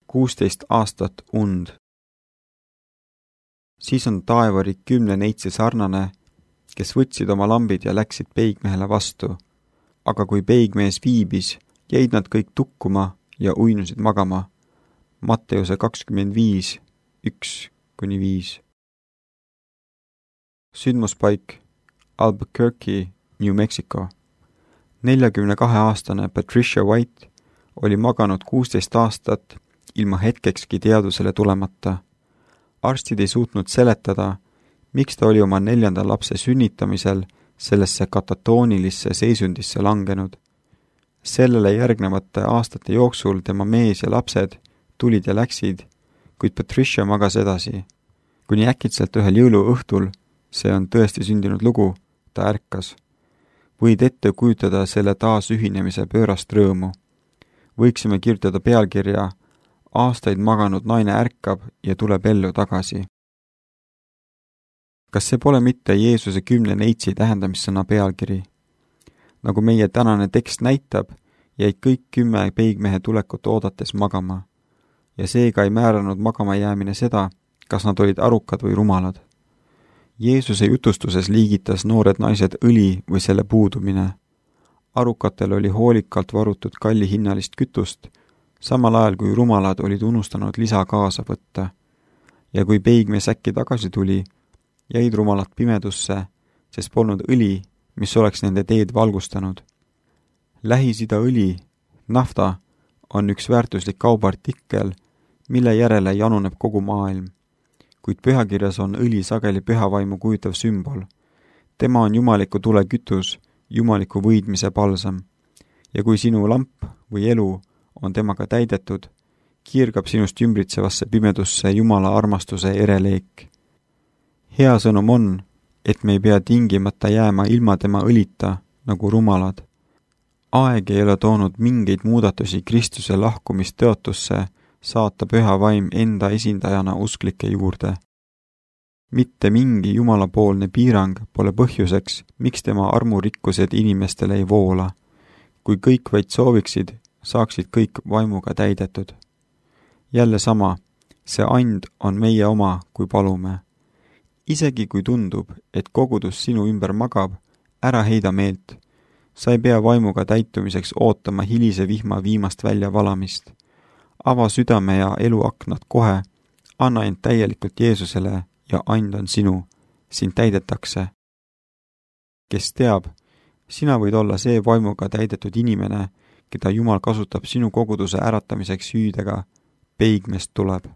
16 aastat und. Siis on taevarik 10 neitsi sarnane, kes võtsid oma lambid ja läksid peigmehele vastu. Aga kui peigmees viibis, jäid nad kõik tukkuma ja uinusid magama. Matteuse 25, 1-5. Sündmuspaik Albuquerque, New Mexico. 42-aastane Patricia White oli maganud 16 aastat ilma hetkekski teadusele tulemata. Arstid ei suutnud seletada, miks ta oli oma 4. lapse sünnitamisel sellesse katatoonilisse seisundisse langenud. Sellele järgnevate aastate jooksul tema mees ja lapsed tulid ja läksid, kuid Patricia magas edasi. Kuni äkitselt ühel jõuluõhtul, see on tõesti sündinud lugu, ta ärkas. Võid ette kujutada selle taasühinemise pöörast rõõmu. Võiksime kirjutada pealkirja Aastaid maganud naine ärkab ja tuleb ellu tagasi. Kas see pole mitte Jeesuse 10 neitsi tähendamissõna pealkiri? Nagu meie tänane tekst näitab, jäid kõik 10 peigmehe tulekut oodates magama. Ja seega ei määranud magama jäämine seda, kas nad olid arukad või rumalad. Jeesuse jutustuses liigitas noored naised õli või selle puudumine. Arukatel oli hoolikalt varutud kallihinnalist kütust, samal ajal kui rumalad olid unustanud lisa kaasa võtta. Ja kui peigmees äkki tagasi tuli, jäid rumalad pimedusse, sest polnud õli, mis oleks nende teed valgustanud. Lähis-Ida õli, nafta, on üks väärtuslik kaubaartikkel, mille järele januneb kogu maailm. Kuid pühakirjas on õli sageli pühavaimu kujutav sümbol. Tema on jumaliku tule kütus, jumaliku võidmise palsam. Ja kui sinu lamp või elu on temaga täidetud, kiirgab sinust ümbritsevasse pimedusse Jumala armastuse ereleek. Hea sõnum on, et me ei pea tingimata jääma ilma tema õlita, nagu rumalad. Aeg ei ole toonud mingeid muudatusi Kristuse lahkumist tõotusse saata püha vaim enda esindajana usklike juurde. Mitte mingi jumalapoolne piirang pole põhjuseks, miks tema armurikkused inimestele ei voola. Kui kõik vaid sooviksid, saaksid kõik vaimuga täidetud. Jälle sama, see and on meie oma, kui palume. Isegi kui tundub, et kogudus sinu ümber magab, ära heida meelt. Sa ei pea vaimuga täitumiseks ootama hilise vihma viimast välja valamist. Ava südame ja eluaknad kohe, anna end täielikult Jeesusele ja and on sinu, sind täidetakse. Kes teab, sina võid olla see vaimuga täidetud inimene, keda Jumal kasutab sinu koguduse äratamiseks hüüdega, peigmeest tuleb.